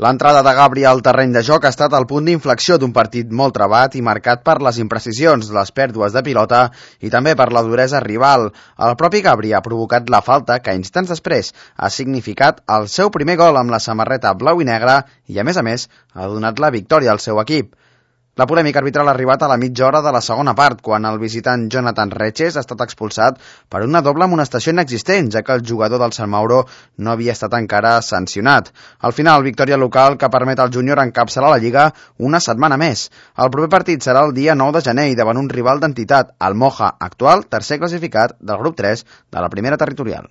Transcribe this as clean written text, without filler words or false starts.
L'entrada de Gabri al terreny de joc ha estat el punt d'inflexió d'un partit molt trebat i marcat per les imprecisions, les pèrdues de pilota i també per la duresa rival. El propi Gabri ha provocat la falta que instants després ha significat el seu primer gol amb la samarreta blau i negra i, a més, ha donat la victòria al seu equip. La polèmica arbitral ha arribat a la mitja hora de la segona part, quan el visitant Jonathan Reches ha estat expulsat per una doble amonestació inexistent, ja que el jugador del Sant Mauro no havia estat encara sancionat. Al final, victòria local que permet al júnior encapçalar la Lliga una setmana més. El proper partit serà el dia 9 de gener i davant un rival d'entitat, el Moja, actual tercer classificat del grup 3 de la primera territorial.